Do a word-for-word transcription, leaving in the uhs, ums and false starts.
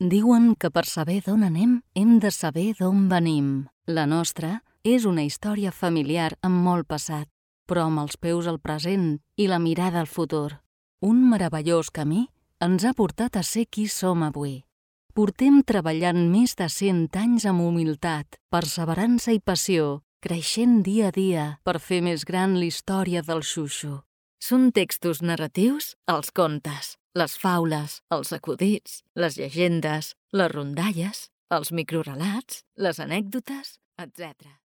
Diuen que per saber d'on anem hem de saber d'on venim. La nostra és una història familiar amb molt passat, però amb els peus al present i la mirada al futur. Un meravellós camí ens ha portat a ser qui som avui. Portem treballant més de cent anys amb humilitat, perseverança i passió, creixent dia a dia per fer més gran la història del Xuxu. Són textos narratius, els contes, les faules, els acudits, les llegendes, les rondalles, els microrelats, les anècdotes, etcètera.